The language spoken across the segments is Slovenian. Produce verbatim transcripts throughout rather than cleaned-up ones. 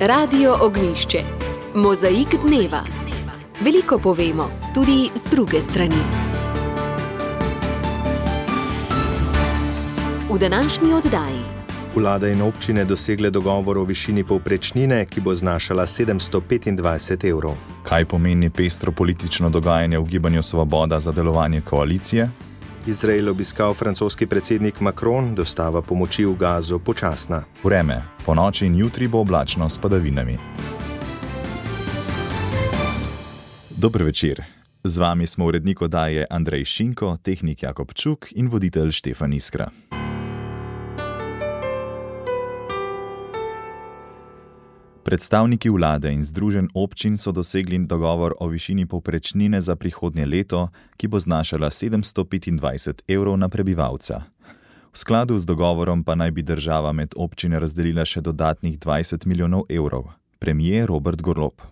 Radio Ognjišče. Mozaik dneva. Veliko povemo, tudi z druge strani. V današnji oddaji. Vlada in občine dosegle dogovor o višini povprečnine, ki bo znašala sedemsto petindvajset evrov. Kaj pomeni pestro politično dogajanje v Gibanju Svoboda za delovanje koalicije? Izrael obiskal francoski predsednik Macron, dostava pomoči v Gazo počasna. Vreme. Ponoči in jutri bo oblačno s padavinami. Dober večer. Z vami smo urednik oddaje Andrej Šinko, tehnik Jakob Čuk in voditelj Štefan Iskra. Predstavniki vlade in združenj občin so dosegli dogovor o višini povprečnine za prihodnje leto, ki bo znašala sedemsto petindvajset evrov na prebivalca. V skladu z dogovorom pa naj bi država med občine razdelila še dodatnih dvajset milijonov evrov. Premier Robert Golob.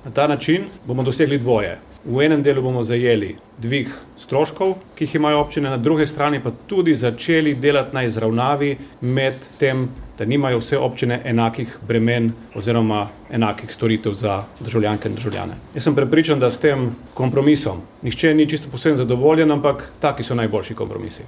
Na ta način bomo dosegli dvoje. V enem delu bomo zajeli dvig stroškov, ki jih imajo občine, na druge strani pa tudi začeli delati na izravnavi med tem, da nimajo vse občine enakih bremen oziroma enakih storitev za državljanke in državljane. Jaz sem prepričan, da s tem kompromisom nihče ni čisto posebno zadovoljen, ampak taki so najboljši kompromisi.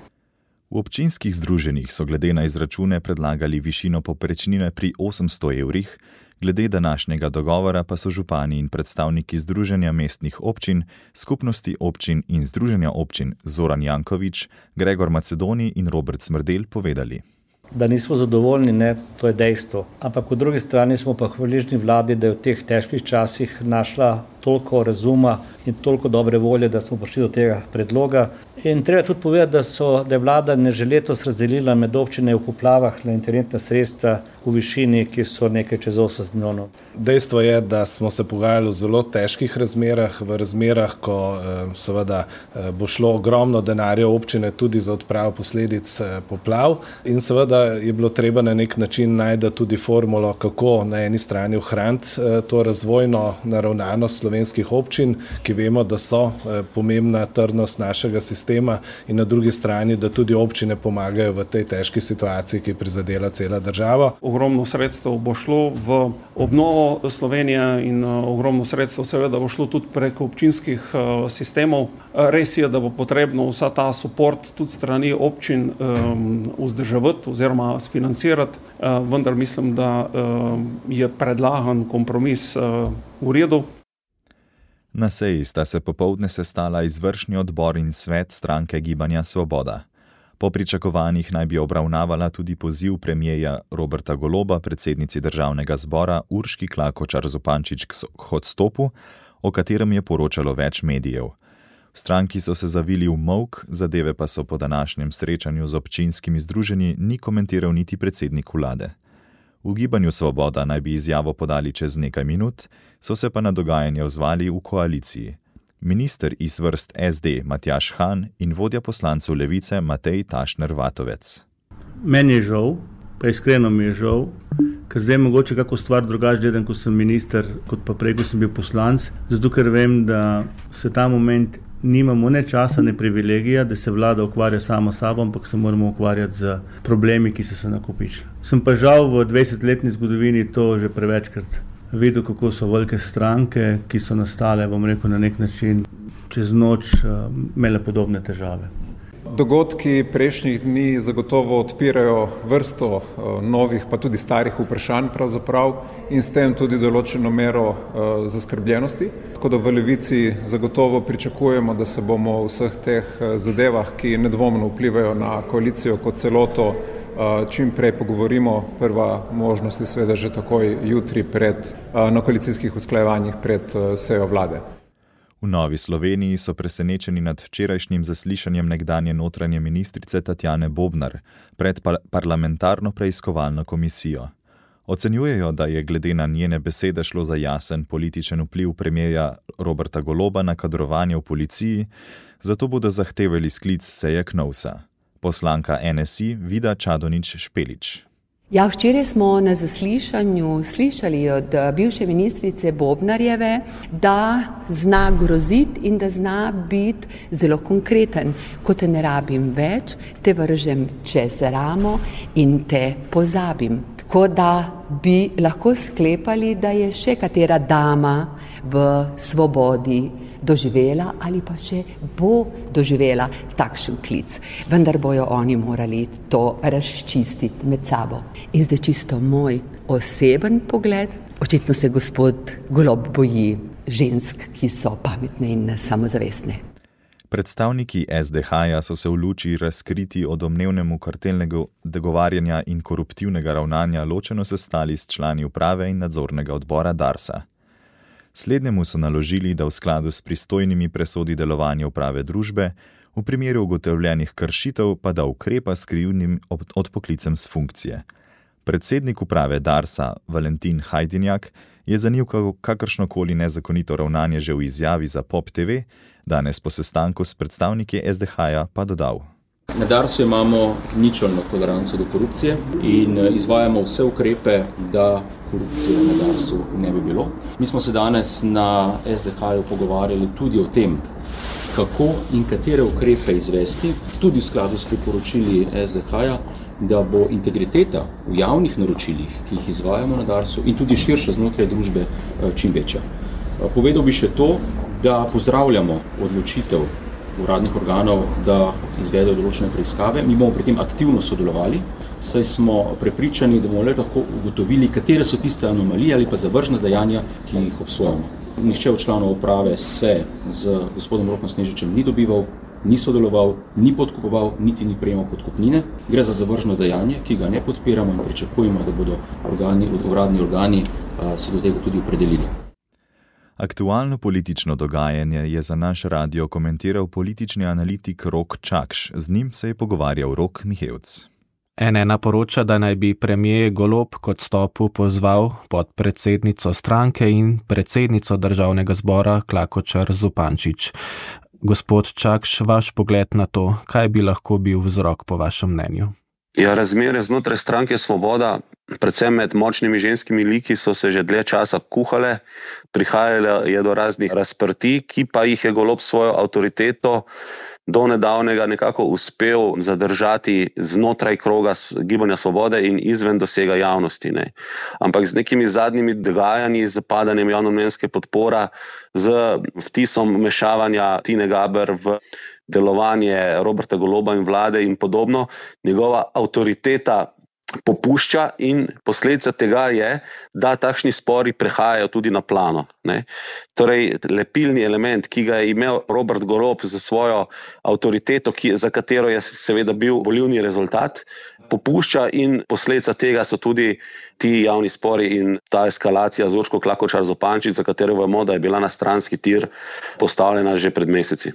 V občinskih združenjih so glede na izračune predlagali višino povprečnine pri osemsto evrih, glede današnjega dogovora pa so župani in predstavniki Združenja mestnih občin, Skupnosti občin in Združenja občin Zoran Janković, Gregor Macedoni in Robert Smrdelj povedali. Da nismo zadovoljni, ne, to je dejstvo. Ampak po drugi strani smo pa hvaležni vladi, da je v teh težkih časih našla toliko razuma in toliko dobre volje, da smo prišli do tega predloga. In treba tudi povedati, da, so, da je vlada ne že letos razdelila med občine v poplavah na interventna sredstva v višini, ki so nekaj čez osemdeset milijonov. Dejstvo je, da smo se pogajali v zelo težkih razmerah, v razmerah, ko seveda bo šlo ogromno denarja v občine tudi za odpravo posledic poplav in seveda je bilo treba na nek način najti tudi formulo, kako na eni strani ohraniti to razvojno naravnanost slovenskih občin, ki vemo, da so pomembna trdnost našega sistema, in na drugi strani, da tudi občine pomagajo v tej težki situaciji, ki prizadela cela država. Ogromno sredstev bo šlo v obnovo Slovenije in ogromno sredstev seveda bo šlo tudi preko občinskih sistemov. Res je, da bo potrebno vsa ta suport tudi strani občin um, vzdrževati oziroma sfinancirati, uh, vendar mislim, da uh, je predlagan kompromis uh, v redu. Na seji sta se popoldne sestala izvršni odbor in svet stranke Gibanja Svoboda. Po pričakovanjih naj bi obravnavala tudi poziv premierja Roberta Goloba, predsednici državnega zbora Urški Klakočar Zupančič k odstopu, o katerem je poročalo več medijev. V stranki so se zavili v molk, zadeve pa so po današnjem srečanju z občinskimi združenji ni komentiral niti predsednik vlade. V Gibanju Svoboda naj bi izjavo podali čez nekaj minut, so se pa na dogajanje odzvali v koaliciji. Minister iz vrst es de Matjaž Han in vodja poslancev Levice Matej Tašner Vatovec. Meni je žal, pa iskreno mi je žal, ker zdaj mogoče kako stvar drugače gledam, ko sem minister, kot pa prej, ko sem bil poslanc, zato ker vem, da se ta moment nimamo ne časa, ne privilegija, da se vlada ukvarja samo sabo, ampak se moramo ukvarjati z problemi, ki so se nakopičili. Sem pa žal v dvajsetletni zgodovini to že prevečkrat videl, kako so velike stranke, ki so nastale, bom rekel, na nek način čez noč imele podobne težave. Dogodki prejšnjih dni zagotovo odpirajo vrsto novih, pa tudi starih vprašanj pravzaprav in s tem tudi določeno mero zaskrbljenosti. Tako da v Levici zagotovo pričakujemo, da se bomo v vseh teh zadevah, ki nedvomno vplivajo na koalicijo kot celoto, čim prej pogovorimo. Prva možnost je seveda že takoj jutri pred, na koalicijskih usklajevanjih pred sejo vlade. V Novi Sloveniji so presenečeni nad včerajšnjim zaslišanjem nekdanje notranje ministrice Tatjane Bobnar pred parlamentarno preiskovalno komisijo. Ocenjujejo, da je glede na njene besede šlo za jasen političen vpliv premierja Roberta Goloba na kadrovanje v policiji, zato bodo zahtevali sklic seje Knovsa. Poslanka en es i Vida Čadonič Špelič. Ja, včeraj smo na zaslišanju slišali od bivše ministrice Bobnarjeve, da zna groziti in da zna biti zelo konkreten. Ko te ne rabim več, te vržem čez ramo in te pozabim. Tako da bi lahko sklepali, da je še katera dama v Svobodi doživela ali pa še bo doživela takšen klic. Vendar bojo oni morali to razčistiti med sabo. In zdaj čisto moj oseben pogled. Očitno se gospod Golob boji žensk, ki so pametne in samozavestne. Predstavniki es de ha-ja so se v luči razkriti o domnevnemu kartelnega dogovarjanja in koruptivnega ravnanja ločeno sestali s člani uprave in nadzornega odbora Darsa. Slednjemu so naložili, da v skladu s pristojnimi presodi delovanja uprave družbe, v primeru ugotovljenih kršitev pa da ukrepa s krivdnim odpoklicem s funkcije. Predsednik uprave Darsa, Valentin Hajdinjak, je zanikal kakršnokoli nezakonito ravnanje že v izjavi za Pop te ve, danes po sestanku s predstavniki es de ha-ja pa dodal. Na Darsu imamo ničelno toleranco do korupcije in izvajamo vse ukrepe, da korupcije na Darsu ne bi bilo. Mi smo se danes na es de ha-ju pogovarjali tudi o tem, kako in katere ukrepe izvesti, tudi v skladu s priporočili es de ha-ja, da bo integriteta v javnih naročilih, ki jih izvajamo na Darsu in tudi širše znotraj družbe čim večja. Povedal bi še to, da pozdravljamo odločitev uradnih organov, da izvedejo določene preiskave. Mi bomo pri tem aktivno sodelovali, saj smo prepričani, da bomo le lahko ugotovili, katere so tiste anomalije ali pa zavržna dejanja, ki jih obsojamo. Nihče od članov uprave se z gospodom Rokom Snežičem ni dobival, ni sodeloval, ni podkupoval, niti ni prejemal podkupnine. Gre za zavržno dejanje, ki ga ne podpiramo in pričakujemo, da bodo organi, uradni organi se do tega tudi opredelili. Aktualno politično dogajanje je za naš radio komentiral politični analitik Rok Čakš. Z njim se je pogovarjal Rok Mihevc. en ena poroča, da naj bi premier Golob k odstopu pozval podpredsednico stranke in predsednico državnega zbora Klakočar Zupančič. Gospod Čakš, vaš pogled na to, kaj bi lahko bil vzrok po vašem mnenju? Ja, razmere znotraj stranke Svoboda, predvsem med močnimi ženskimi liki, so se že dlje časa kuhale, prihajale je do raznih razprtij, ki pa jih je Golob svojo avtoriteto do nedavnega nekako uspel zadržati znotraj kroga Gibanja Svobode in izven dosega javnosti. Ne. Ampak z nekimi zadnjimi dogajanji, z padanjem javnomnenjske podpora, z vtisom mešavanja Tine Gaber v delovanje Roberta Goloba in vlade in podobno, njegova avtoriteta popušča in posledica tega je, da takšni spori prehajajo tudi na plano. Ne. Torej, lepilni element, ki ga je imel Robert Golob za svojo avtoriteto, ki, za katero je seveda bil volilni rezultat, popušča in posledica tega so tudi ti javni spori in ta eskalacija z Urško Klakočar Zupančič, za katero vemo, da je bila na stranski tir postavljena že pred meseci.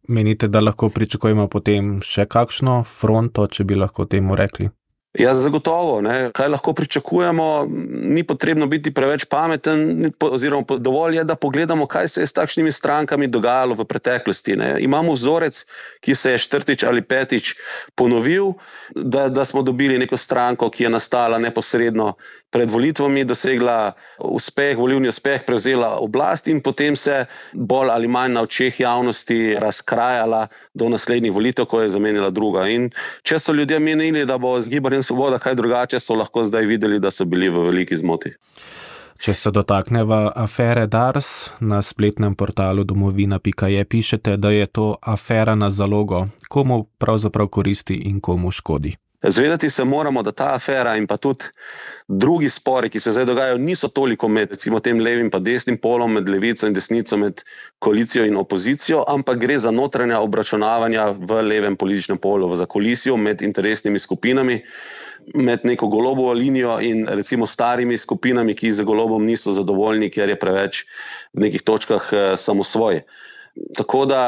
Menite, da lahko pričakujemo potem še kakšno fronto, če bi lahko temu rekli? Ja, zagotovo. Ne. Kaj lahko pričakujemo? Ni potrebno biti preveč pameten, oziroma dovolj je, da pogledamo, kaj se je s takšnimi strankami dogajalo v preteklosti. Ne. Imamo vzorec, ki se je četrtič ali petič ponovil, da, da smo dobili neko stranko, ki je nastala neposredno pred volitvami, dosegla uspeh, volilni uspeh, prevzela oblast in potem se bolj ali manj na očeh javnosti razkrajala do naslednjih volitev, ko je zamenjala druga. In če so ljudje menili, da bo z Gibanjem Svoboda kaj drugače, so lahko zdaj videli, da so bili v veliki zmoti. Če se dotakneva afere Dars, na spletnem portalu domovina pika je pišete, da je to afera na zalogo. Komu pravzaprav koristi in komu škodi? Zvedati se moramo, da ta afera in pa tudi drugi spori, ki se zdaj dogajajo, niso toliko med recimo tem levim pa desnim polom, med levico in desnico, med koalicijo in opozicijo, ampak gre za notranja obračunavanja v levem političnem polu, v zakolisijo med interesnimi skupinami, med neko Golobovo linijo in recimo starimi skupinami, ki z Golobom niso zadovoljni, ker je preveč v nekih točkah samosvoj. Tako da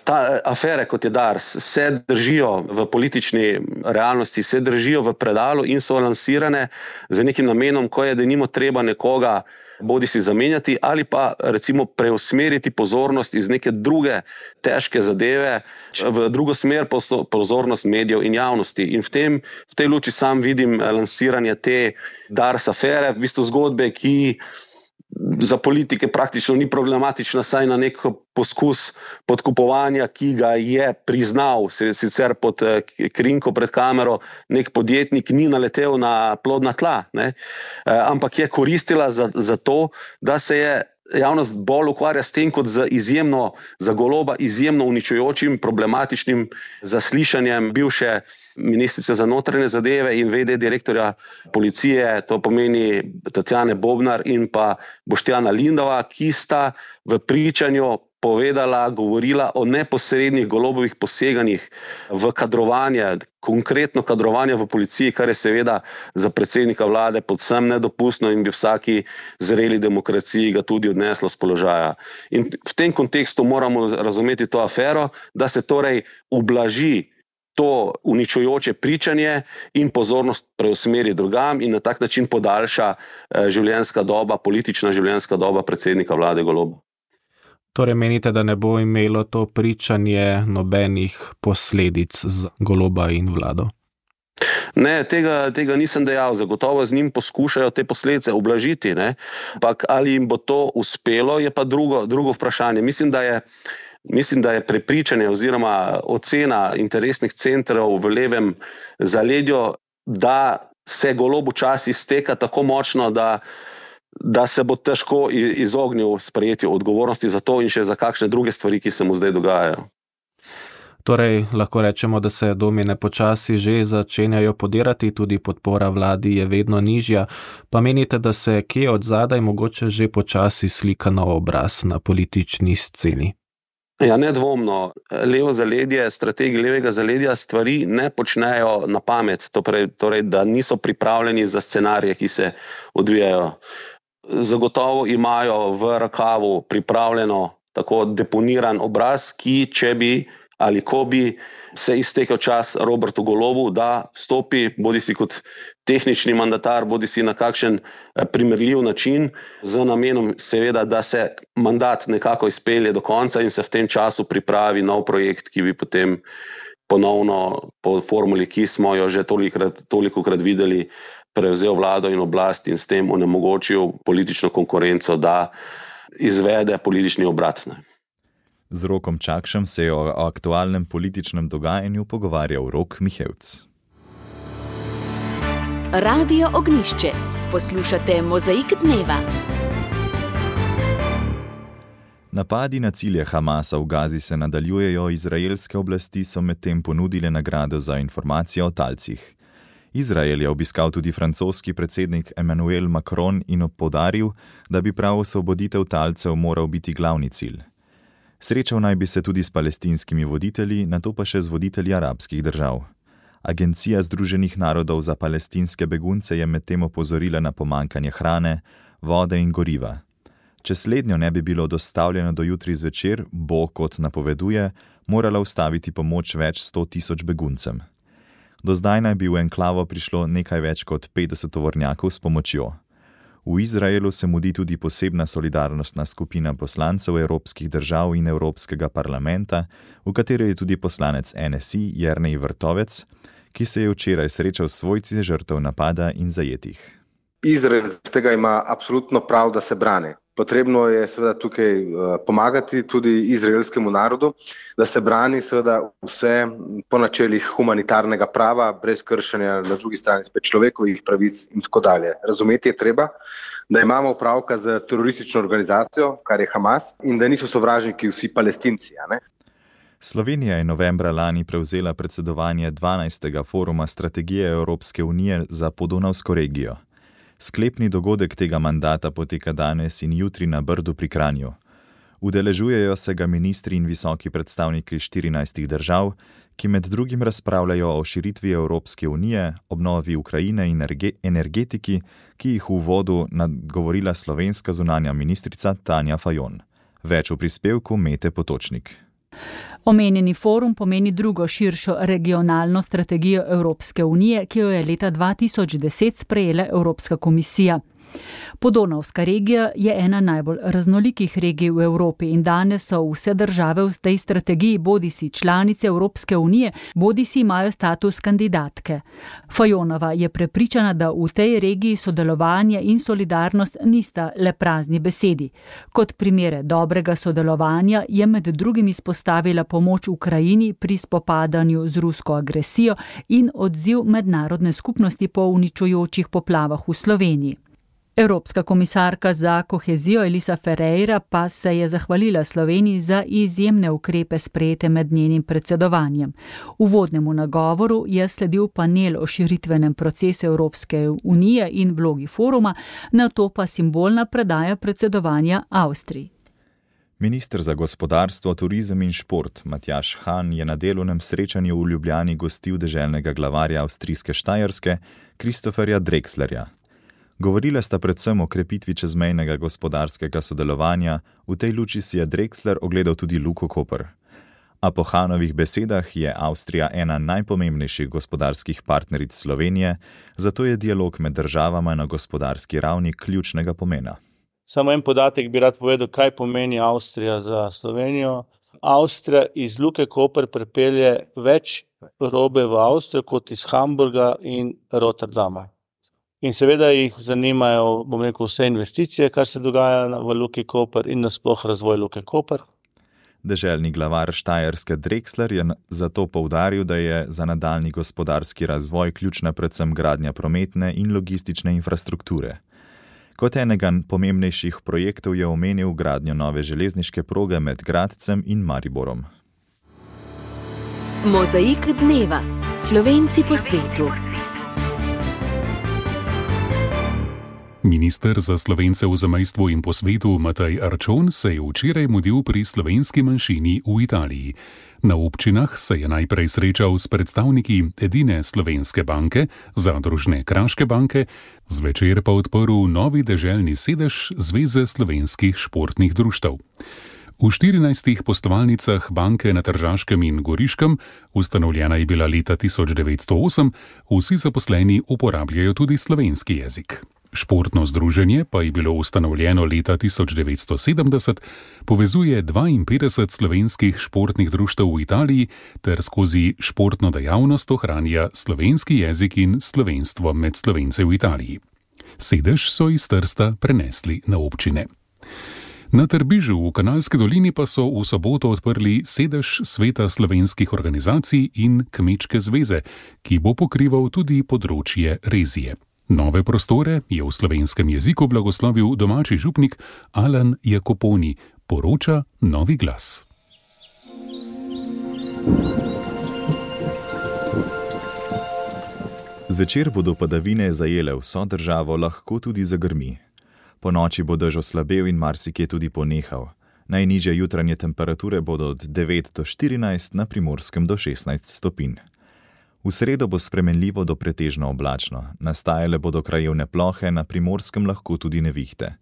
ta afere, kot je Dars, se držijo v politični realnosti, se držijo v predalu in so lansirane z nekim namenom, ko je denimo treba nekoga bodi si zamenjati ali pa recimo preusmeriti pozornost iz neke druge težke zadeve v drugo smer, pozornost medijev in javnosti. In v, tem, v tej luči sam vidim lansiranje te Dars afere, v bistvu zgodbe, ki za politike praktično ni problematična, saj na nek poskus podkupovanja, ki ga je priznal, sicer pod krinko pred kamero, nek podjetnik ni naletel na plodna tla, ne? Ampak je koristila za, za to, da se je javnost bolj ukvarja s tem, kot za izjemno, za Goloba izjemno uničujočim, problematičnim zaslišanjem bivše ministrice za notranje zadeve in vede direktorja policije, to pomeni Tatjane Bobnar in pa Boštjana Lindava, ki sta v pričanju povedala, govorila o neposrednih Golobovih poseganjih v kadrovanje, konkretno kadrovanje v policiji, kar je seveda za predsednika vlade povsem nedopustno in bi vsaki zreli demokraciji ga tudi odneslo z položaja. In v tem kontekstu moramo razumeti to afero, da se torej ublaži to uničujoče pričanje in pozornost preusmeri drugam in na tak način podaljša življenjska doba, politična življenjska doba predsednika vlade Goloba. Torej menite, da ne bo imelo to pričanje nobenih posledic z Goloba in vlado? Ne, tega, tega nisem dejal. Zagotovo z njim poskušajo te posledice ublažiti, ne? Ampak ali jim bo to uspelo, je pa drugo, drugo vprašanje. Mislim, da je Mislim, da je prepričanje oziroma ocena interesnih centrov v levem zaledju, da se Golob včasih izteka tako močno, da, da se bo težko izognil sprejetju odgovornosti za to in še za kakšne druge stvari, ki se mu zdaj dogajajo. Torej, lahko rečemo, da se domine počasi že začenjajo podirati, tudi podpora vladi je vedno nižja, pa menite, da se kje od zadaj mogoče že počasi slika nov obraz na politični sceni? Ja, nedvomno. Levo zaledje, strategi levega zaledja stvari ne počnejo na pamet, torej, torej, da niso pripravljeni za scenarije, ki se odvijajo. Zagotovo imajo v rakavu pripravljeno tako deponiran obraz, ki če bi ali ko bi se iztekel čas Robertu Golobu, da vstopi bodi si kot tehnični mandatar, bodi si na kakšen primerljiv način, z namenom seveda, da se mandat nekako izpelje do konca in se v tem času pripravi nov projekt, ki bi potem ponovno po formuli, ki smo jo že tolikrat, tolikokrat videli, prevzel vlado in oblast in s tem onemogočil politično konkurenco, da izvede politični obrat. Ne. Z Rokom Čakšem se je o aktualnem političnem dogajanju pogovarjal Rok Mihevc. Radio Ognjišče. Poslušate Mozaik dneva. Napadi na cilje Hamasa v Gazi se nadaljujejo, izraelske oblasti so medtem ponudile nagrado za informacije o talcih. Izrael je obiskal tudi francoski predsednik Emmanuel Macron in poudaril, da bi prav osvoboditev talcev moral biti glavni cilj. Srečal naj bi se tudi s palestinskimi voditelji, nato pa še z voditelji arabskih držav. Agencija Združenih narodov za palestinske begunce je medtem opozorila na pomanjkanje hrane, vode in goriva. Če slednjo ne bi bilo dostavljeno do jutri zvečer, bo, kot napoveduje, morala ustaviti pomoč več sto tisoč beguncem. Do zdaj naj bi v enklavo prišlo nekaj več kot petdeset tovornjakov s pomočjo. V Izraelu se mudi tudi posebna solidarnostna skupina poslancev evropskih držav in Evropskega parlamenta, v kateri je tudi poslanec N S I Jernej Vrtovec, ki se je včeraj srečal s svojci žrtev napada in zajetih. Izrael tega ima absolutno prav, da se brani. Potrebno je seveda tukaj pomagati tudi izraelskemu narodu, da se brani seveda vse po načelih humanitarnega prava, brez kršenja na drugi strani spet človekovih pravic in tako dalje. Razumeti je treba, da imamo opravka z teroristično organizacijo, kar je Hamas, in da niso sovražniki vsi Palestinci. A ne? Slovenija je novembra lani prevzela predsedovanje dvanajstega foruma strategije Evropske unije za podonavsko regijo. Sklepni dogodek tega mandata poteka danes in jutri na Brdu pri Kranju. Udeležujejo se ga ministri in visoki predstavniki štirinajstih držav, ki med drugim razpravljajo o širitvi Evropske unije, obnovi Ukrajine in energetiki, ki jih v uvodu nagovorila slovenska zunanja ministrica Tanja Fajon. Več v prispevku Mete Potočnik. Omenjeni forum pomeni drugo širšo regionalno strategijo Evropske unije, ki jo je leta dva tisoč deset sprejela Evropska komisija. Podonavska regija je ena najbolj raznolikih regij v Evropi in danes so vse države v tej strategiji bodisi članice Evropske unije, bodisi imajo status kandidatke. Fajonova je prepričana, da v tej regiji sodelovanje in solidarnost nista le prazni besedi. Kot primere dobrega sodelovanja je med drugim izpostavila pomoč Ukrajini pri spopadanju z rusko agresijo in odziv mednarodne skupnosti po uničujočih poplavah v Sloveniji. Evropska komisarka za kohezijo Elisa Ferreira pa se je zahvalila Sloveniji za izjemne ukrepe sprejete med njenim predsedovanjem. Uvodnemu nagovoru je sledil panel o širitvenem procesu Evropske unije in vlogi foruma, nato pa simbolna predaja predsedovanja Avstriji. Minister za gospodarstvo, turizem in šport Matjaž Han je na delovnem srečanju v Ljubljani gostil deželnega glavarja avstrijske Štajerske Christopherja Drexlerja. Govorila sta predvsem o krepitvi čezmejnega gospodarskega sodelovanja, v tej luči si je Drexler ogledal tudi Luko Koper. A po Hanovih besedah je Avstrija ena najpomembnejših gospodarskih partneric Slovenije, zato je dialog med državama na gospodarski ravni ključnega pomena. Samo en podatek bi rad povedal, kaj pomeni Avstrija za Slovenijo. Avstrija iz Luke Koper pripelje več robe v Avstrijo kot iz Hamburga in Rotterdama. In seveda jih zanimajo, bom rekel, vse investicije, kar se dogaja v Luki Koper in nasploh razvoj Luke Koper. Deželni glavar Štajerske Drexler je zato poudaril, da je za nadaljnji gospodarski razvoj ključna predvsem gradnja prometne in logistične infrastrukture. Kot enega pomembnejših projektov je omenil gradnjo nove železniške proge med Gradcem in Mariborom. Mozaik dneva. Slovenci po svetu. Minister za Slovence v zamejstvu in po svetu Matej Arčon se je včeraj mudil pri slovenski manjšini v Italiji. Na občinah se je najprej srečal s predstavniki edine slovenske banke, zadružne Kraške banke, zvečer pa odprl novi deželni sedež Zveze slovenskih športnih društev. V štirinajstih poslovalnicah banke na Tržaškem in Goriškem, ustanovljena je bila leta tisoč devetsto osem, vsi zaposleni uporabljajo tudi slovenski jezik. Športno združenje pa je bilo ustanovljeno leta tisoč devetsto sedemdeset, povezuje dvainpetdeset slovenskih športnih društev v Italiji ter skozi športno dejavnost ohranja slovenski jezik in slovenstvo med Slovence v Italiji. Sedež so iz Trsta prenesli na občine. Na Trbižu v Kanalski dolini pa so v soboto odprli sedež Sveta slovenskih organizacij in Kmečke zveze, ki bo pokrival tudi področje rezije. Nove prostore je v slovenskem jeziku blagoslovil domači župnik Alan Jakoponi, poroča Novi glas. Zvečer bodo padavine zajele vso državo, lahko tudi zagrmi. Po noči bo dež oslabel in marsikje tudi ponehal. Najnižje jutranje temperature bodo od devet do štirinajst, na Primorskem do šestnajst stopinj. V sredo bo spremenljivo do pretežno oblačno, nastajale bodo krajevne plohe, na Primorskem lahko tudi nevihte.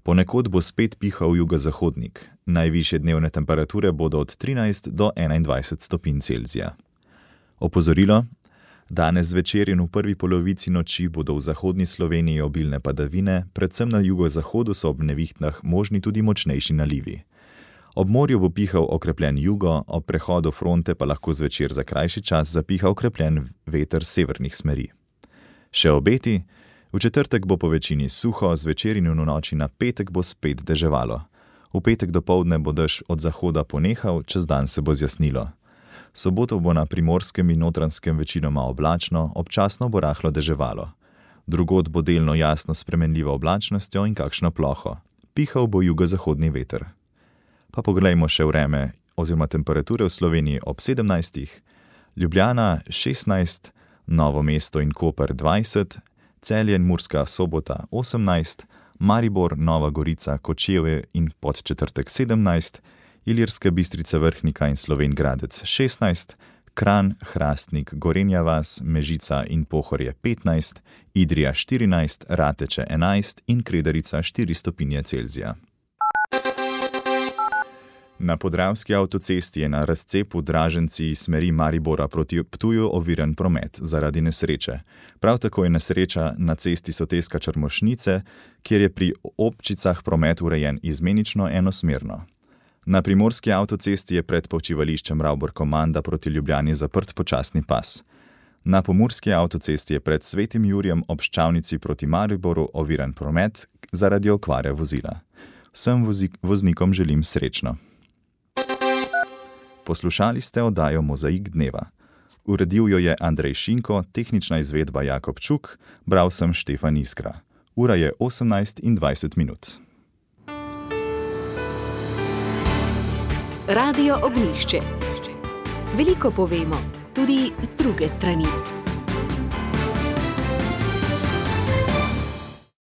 Ponekod bo spet pihal jugozahodnik, najvišje dnevne temperature bodo od trinajst do enaindvajset stopinj Celzija. Opozorilo: danes zvečer in v prvi polovici noči bodo v zahodni Sloveniji obilne padavine, predvsem na jugozahodu so ob nevihtah možni tudi močnejši nalivi. Ob morju bo pihal okrepljen jugo, ob prehodu fronte pa lahko zvečer za krajši čas zapiha okrepljen veter severnih smeri. Še obeti: v četrtek bo po večini suho, zvečer in v noči na petek bo spet deževalo. V petek dopoldne bo dež od zahoda ponehal, čez dan se bo zjasnilo. Soboto bo na Primorskem in Notranjskem večinoma oblačno, občasno bo rahlo deževalo. Drugod bo delno jasno spremenljivo oblačnostjo in kakšno ploho. Pihal bo jugozahodni veter. Pa pogledajmo še vreme oziroma temperature v Sloveniji ob sedemnajstih. Ljubljana šestnajst, Novo mesto in Koper dvajset, Celje in Murska Sobota osemnajst, Maribor, Nova Gorica, Kočevje in Podčetrtek sedemnajst, Ilirska Bistrica, Vrhnika in Slovenj Gradec šestnajst, Kranj, Hrastnik, Gorenja vas, Mežica in Pohorje petnajst, Idrija štirinajst, Rateče enajst in Kredarica štiri stopinje Celzija. Na podravski avtocesti je na razcepu Draženci iz smeri Maribora proti Ptuju oviran promet zaradi nesreče. Prav tako je nesreča na cesti Soteska-Črmošnice, kjer je pri Občicah promet urejen izmenično enosmerno. Na primorski avtocesti je pred počivališčem Ravbor-Komanda proti Ljubljani zaprt počasni pas. Na pomurski avtocesti je pred Svetim Jurjem ob Ščavnici proti Mariboru oviran promet zaradi okvare vozila. Vsem voznikom želim srečno. Poslušali ste oddajo Mozaik dneva. Uredil jo je Andrej Šinko, tehnična izvedba Jakob Čuk, bral sem Štefan Iskra. Ura je osemnajst in dvajset minut. Radio Ognjišče. Veliko povemo, tudi z druge strani.